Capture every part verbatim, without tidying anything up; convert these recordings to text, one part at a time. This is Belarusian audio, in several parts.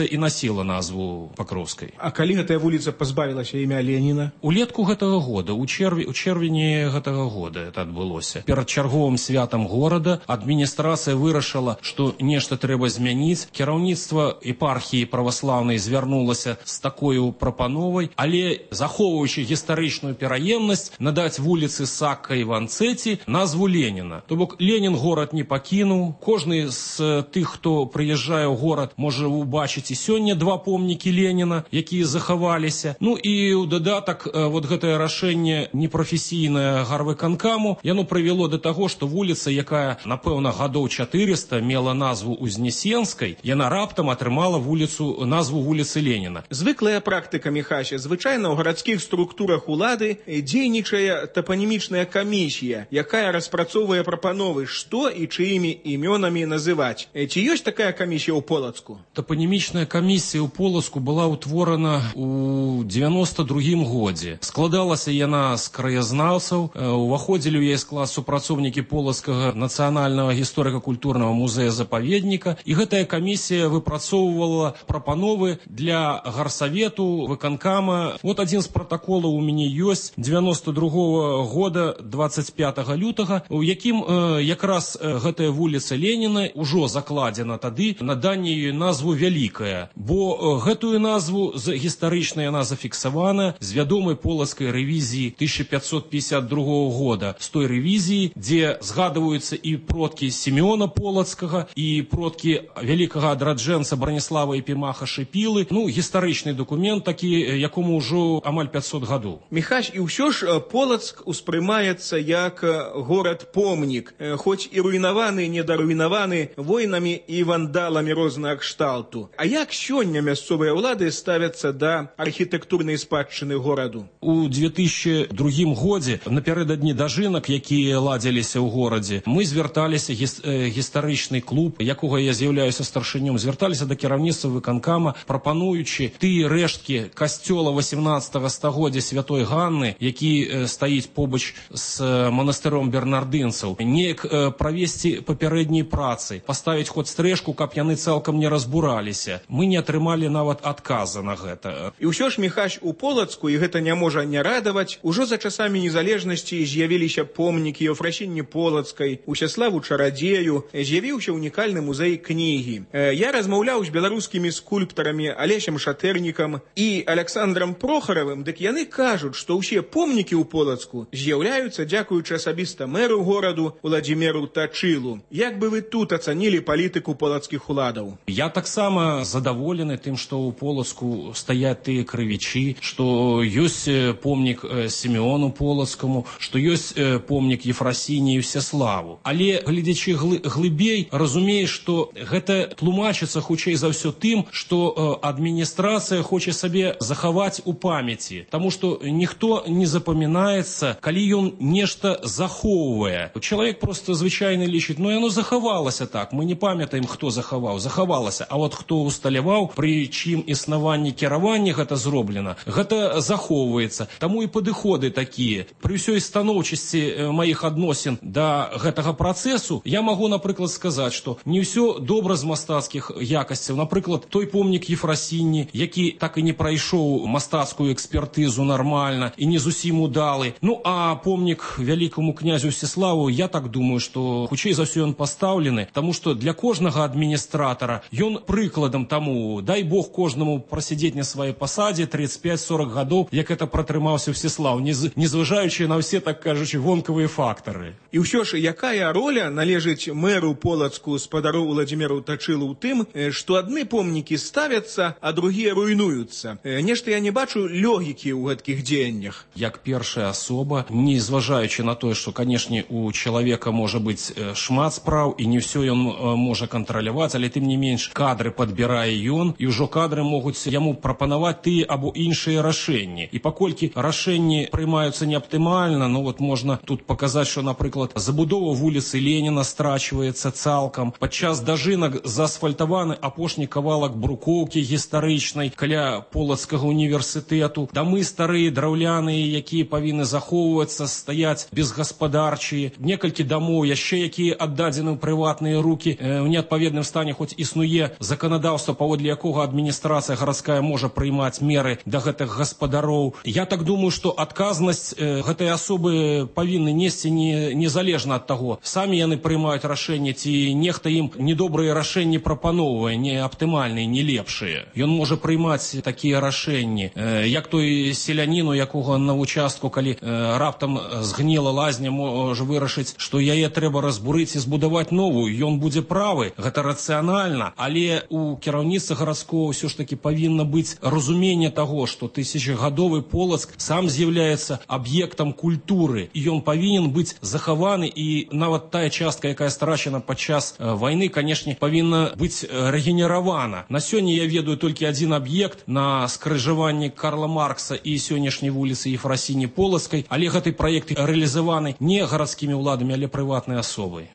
і насіла назву Пакроўскай. А калі гэтая вуліца пазбавілася імя Леніна? Улетку гэтага года, у чэрвені, у чэрвені гэтага года это адбылося. Перад чарговым святам горада адміністрацыя вырашыла, што нешта трэба змяніць. Кіраўніцтва епархіі праваслаўнай звярнулася з такою прапановай, але захоўваючы гістарычную пераемнасць, надаць вуліцы Сакка і Ванцэці назву Леніна. То бок Ленін горад не пакінуў. Кожны з тых, хто прыязджае ў горад, можа убачыць і сёння два помнікі Леніна, якія захаваліся. Ну і ў дадатак вот гэтае рашэнне непрафесійнае гарвыканкаму, яно прывяло да таго, што вуліца, якая, напэўна, гадоў чатырыста мела назву Узнесенскай, яна раптам атрымала вуліцу, назву вуліцы Леніна. Звыклая практыка, Міхася, звычайна ў гарадскіх структурах улады дзейнічае тапанімічная камісія, якая распрацоўвае прапановы, што і чыімі імёнамі называць. Ці ёсць такая камісія ў Полацку? Тапанімічная камісія ў Полацку была ўтворана ў дзевяноста другім годзе. Складалася яна з краязнаўцаў, уваходзілі ў яе склад супрацоўнікі Полацкага нацыянальнага гісторыка-культурнага музея-запаведніка, і гэтая камісія выпрацоўвала прапановы для гарсавету, выканкама. Вот адзін з пратаколаў у мяне ёсць дзевяноста другога года дваццаць пятага лютага, у якім э, якраз э, гэтая вуліца Леніна ўжо закладзена тады наданне ёй назву Вялікая, бо э, гэтую назву з гістарычна яна зафіксавана з вядомай полацкай рэвізіі тысяча пятьсот пятьдесят другого года, з той рэвізіі, дзе згадваюцца і продкі Сімеона Полацкага, і продкі вялікага адраджэнца Браніслава Епімаха Шыпілы. Ну, гістарычны дакумент такі, якому ўжо амаль пятьсот гадоў. Міхась, і ўсё ж Полацк успрымаецца як горад-помнік, хоць і руйнаваны, недаруйнаваны войнамі і вандаламі рознага кшталту. А як сёння мясцовыя ўлады ставяцца да архітэктурнай спадчыны гораду? У две тысячи другім годзе, напярэдадні дажынак, якія ладзіліся ў горадзе, мы звярталіся, гіс, э, гістарычны клуб, якога я з'яўляюся старшынём, звярталіся да кіраўніцтва выканкама, прапануючы тыя рэшткі касцёла восемнадцатага стагоддзя Святой Ганны, які э, стаіць побач з э, манастыром бернардынцаў, неяк э, правесці папярэднія працы, паставіць хоць стрэшку, каб яны цалкам не разбураліся. Мы не атрымалі нават адказа на гэта. І ўсё ж, Міхась, у Полацку, і гэта не можа не радаваць, ужо за часамі незалежнасці з'явіліся помнікі Еўфрасіні Полацкай, Усяславу Чарадзею, з'явіўся унікальны музей кнігі. Я размаўляў з беларускімі скульптарамі Алесем Шатэрнікам і Александрам Прохаравым, дык яны кажуць, што ўсе помнікі ў Полацку з'яўляюцца дзякуючы асабіста мэру гораду Уладзіміру Тачылу. Як бы вы тут ацанілі палітыку полацкіх уладаў? Я таксама задаволены тым, што ў Полацку стаяць тыя крывічы, што ёсць помнік Сімеону Полацкаму, што ёсць помнік Ефрасіні і Всеславу. Але, глядзячы глыбей, разумееш, што гэта тлумачыцца хутчэй за ўсё тым, што адміністрацыя хоча сабе захаваць у памяці, таму што ніхто не запамінаецца, калі ён нешта захоўвае. Чалавек просто звычайна лічыць, ну яно захавалася так, мы не памятаем, хто захаваў, захавалася, а вот хто усталяваў, пры чым існаванні кіравання гэта зроблена, гэта захоўваецца. Таму і падыходы такія. Пры ўсёй станоўчасці маіх адносін да гэтага працэсу я магу, напрыклад, сказаць, што не ўсё добра з мастацкіх якасцяў. Напрыклад, той помнік Ефрасіні, які так і не прайшоў мастацкую экспертызу нармальна і не зусім удалы. Ну, а помнік вялікаму князю Всеславу, я так думаю, што хутчэй за ўсё ён пастаўлены, таму што для кожнага адміністратара ён прыкладам таму, дай Бог кожнаму прасядзець на сваёй пасадзе тридцать пять сорок гадоў, як это пратрымаўся Всеслав, незважаючы на ўсе, так кажучы, вонкавыя фактары. І ўсё ж, якая роля належыць мэру Полацку спадару Уладзіміру Тачылу ў тым, што адны помнікі ставяцца, а другія руйнуюцца? Нешта я не бачу логікі ў гэткіх дзеяннях. Як першая асоба, не зважаючы на тое, што, канешне, у чалавека можа быць шмат спраў, і не ўсё ён можа кантраляваць, але тым не менш кадры падбірае ён, і ўжо кадры могуць яму прапанаваць тыя або іншыя рашэнні. І паколькі рашэнні прымаюцца неаптымальна, ну вот можна тут паказаць, што, напрыклад, забудова вуліцы Леніна страчваецца цалкам. Падчас дажынак заасфальтаваны апошні кавалак брукоўкі гістарычнай каля Полацкага універсітэту. Дамы старыя, драўляныя, якія павінны захоўвацца, стаяць безгаспадарчыя. Некалькі дамоў яшчэ, якія аддадзены ў прыватныя рукі, э, ў неадпаведным стане, хоць існуе заканадаўства заканадаўства, паводле якога адміністрацыя гарадская можа прыймаць меры да гэтых гаспадароў. Я так думаю, што адказнасць э, гэтай асобы павінны несці не, незалежна ад таго, самі яны прыймаюць рашэнне, ці нехта ім недобрыя рашэнні прапаноўвае, не аптымальныя, не лепшыя. Ён можа прыймаць такія рашэнні, э, як той селянін, у якога на участку, калі э, раптам згніла лазня, можа вырашыць, што яе трэба разбурыць і збудаваць новую. Ён будзе правы, гэта рацыянальна, але у кіраўніцтва гарадского ўсё ж таки павінна быць разуменне таго, што тысячагадовы Полацк сам з'яўляецца аб'ектам культуры, і ён павінен быць захаваны, і нават тая частка, якая страчана падчас э, вайны, канешне, павінна быць рэгенеравана. На сёння я ведаю толькі адзін аб'ект на скрыжаванні Карла Маркса і сённяшняй вуліцы Ефрасіні Полацкай, але гэты праект рэалізаваны не гарадскімі ўладамі, але прыватнай асобай.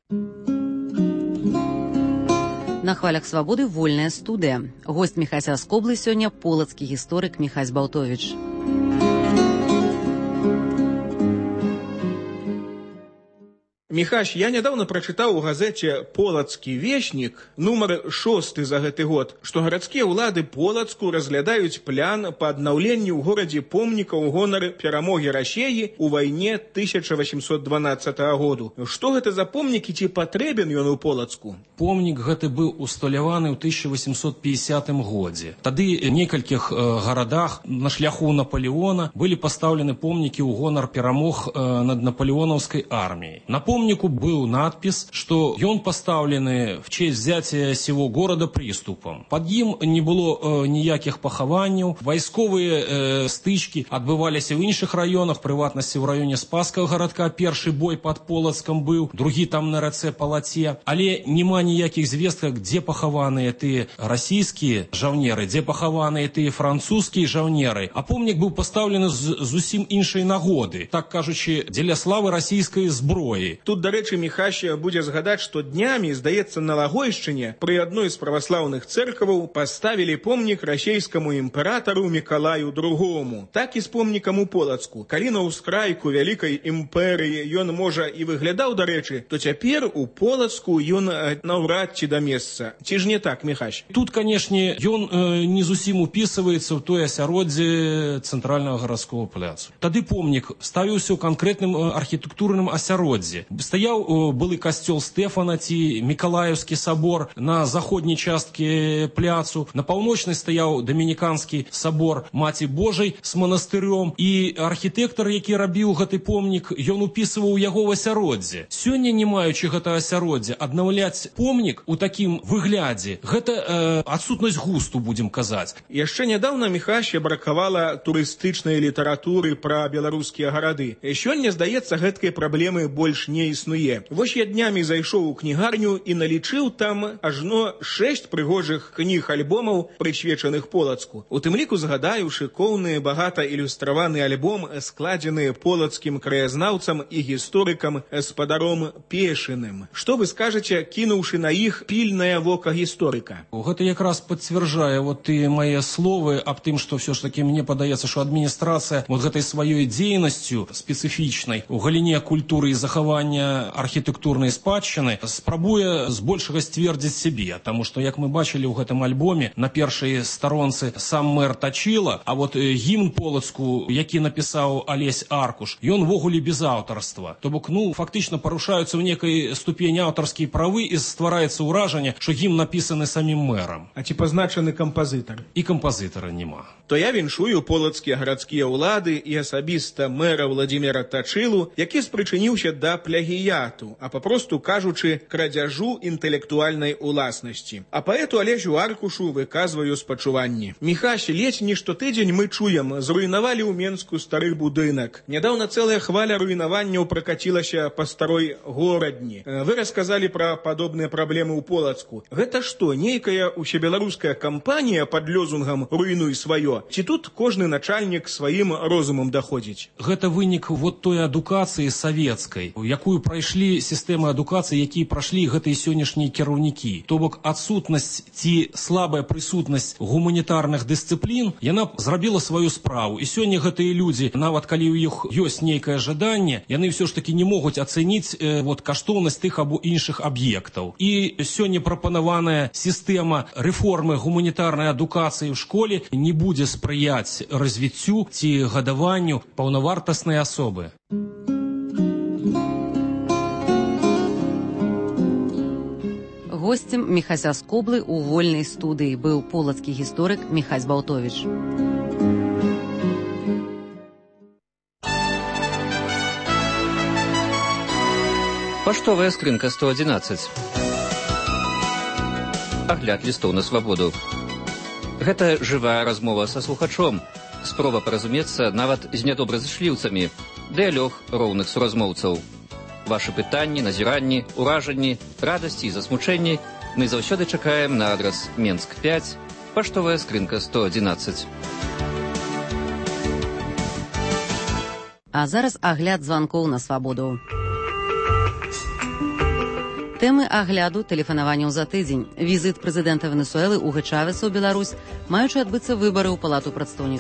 На хвалях свабоды вольная студыя. Гость Міхася Скоблы сёння полацкі гісторык Міхась Балтовіч. Міхась, я нядаўна прачытаў у газеце «Полацкі вешнік», нумар шосты за гэты год, што гарадскія ўлады Полацку разглядаюць план па аднаўленню ў горадзе помніка ў гонар перамогі Расеі ў вайне тысяча васемсот дванаццатага году. Што гэта за помнік і ці патрэбен ён у Полацку? Помнік гэты быў усталяваны ў тысяча васемсот пятидесятым годзе. Тады ў некалькіх э, гарадах на шляху Наполеона былі пастаўлены помнікі ў гонар перамог э, над наполеонаўскай арміяй. На помнику был надпись, что он поставлены в честь взятия сего города приступом. Под им не было э, ніяких пахаванняў, вайсковыя э, стычкі адбываліся ў іншых раёнах, прыватнасці ў раёне Спасскага гарадка. Першы бой под Полацкам быў, другі там на рацэ Палаце. Але няма ніякіх звестак, дзе пахаваныя тыя расійскія жаўнеры, дзе пахаваныя тыя французскія жаўнеры. А помнік быў пастаўлены з зусім іншай нагоды, так кажучы, дзеля славы расійскай зброі. Тут, дарэчы, Міхася будзе згадаць, што днямі, здаецца, на Лагойшчыне пры адной з праваслаўных цэркваў паставілі помнік расійскаму імператару Мікалаю другому. Так і з помнікам у Полацку. Калі на ўскрайку вялікай імперыі ён, можа, і выглядаў, дарэчы, то цяпер у Полацку ён наўрад ці да месца. Ці ж не так, Міхась? Тут, канешне, ён э, не зусім упісваецца ў тое асяроддзе цэнтральнага гарадскога пляцу. Тады помнік ставіўся ў канкрэтным э, архітэктурным асяроддзі. Стаяў былы касцёл Стэфана ці Мікалаеўскі сабор на заходняй часткі пляцу, на паўночнай стаяў дамініканскі сабор Маці Божай з манастыром, і архітэктар, які рабіў гэты помнік, ён упісваў яго ў асяроддзе. Сёння, не маючы гэта асяроддзя, аднаўляць помнік у такім выглядзе, гэта э, адсутнасць густу, будзем казаць. Яшчэ нядаўна Міхася бракавала турыстычнай літаратуры пра беларускія гарады. Сёння, здаецца, гэткай праблемы больш не існуе. Вось я днямі зайшоў у кнігарню і налічыў там ажно шэсць прыгожых кніг-альбомаў, прысвечаных Полацку. У тым ліку згадаю шыкоўны, багата ілюстраваны альбом, складзены полацкім краязнаўцам і гісторыкам спадаром Пешыным. Што вы скажаце, кінуўшы на іх пільнае вока гісторыка? Гэта якраз пацвярджае вот ты мае словы аб тым, што все ж таки мне падаецца, што адміністрацыя вот гэтай сваёй дзейнасцю спецыфічнай у галіне культуры і захавання архітэктурнай спадчыны спрабуе збольшага сцвердзіць сябе, таму што, як мы бачылі ў гэтым альбоме, на першай старонцы сам мэр Тачыла, а вот гімн Полацку, які напісаў Алесь Аркуш, ён ввогуле без аўтарства. То бок, ну, фактычна парушаюцца ў некай ступені аўтарскія правы і ствараецца ўражанне, што гімн напісаны самім мэрам. А ці пазначаны кампазітар? І кампазітара няма. То я віншую полацкія гарадскія ўлады і асабіста мэра Владзіміра Тачылу, які спрычыніўся да плагіяту, а папросту кажучы, крадзяжу інтэлектуальнай уласнасці. А паэту Алесю Аркушу выказваю спачуванні. Міхась, ледзь не штотыдзень мы чуем, зруйнавалі ў Менску стары будынак. Нядаўна цэлая хваля руйнаванняў пракацілася па старой горадні. Вы расказалі пра падобныя праблемы ў Полацку. Гэта што, нейкая усебеларуская кампанія пад лёзунгам «руйнуй сваё»? Ці тут кожны начальнік сваім розумам даходзіць? Гэта вынік вот той адукацыі савецкай, якую якую прайшлі сістэмы адукацыі, якія прашлі гэтыя сённяшнія кіраўнікі. То бок адсутнасць ці слабая прысутнасць гуманітарных дысцыплін, яна зрабіла сваю справу. І сёння гэтыя людзі, нават калі ў іх ёсць нейкае жаданне, яны ўсё ж такі не могуць ацэніць э, вот, каштоўнасць тых або іншых аб'ектаў. І сёння прапанаваная сістэма рэформы гуманітарнай адукацыі ў школе не будзе спрыяць развіццю ці гадаванню паўнавартаснай асобы. Госцем Міхася Скоблы ў вольнай студыі быў полацкі гісторык Міхась Балтовіч. Паштовая скрынка сто адзінаццаць. Агляд лістоў на свабоду. Гэта жывая размова са слухачом, спроба паразумецца нават з нядобразышліўцамі, дыялог роўных суразмоўцаў. Вашы пытанні, назіранні, уражанні, радасці і засмучэнні мы заўсёды чакаем на адрас Менск пяць, паштовая скрынка сто адзінаццаць. А зараз агляд званкоў на свабоду. Тэмы агляду тэлефанаванняў за тыдзень. Візіт прэзідэнта Венесуэлы Уго Чавеса ў Беларусь, маючы адбыцца выбары ў Палату прадстаўнікоў.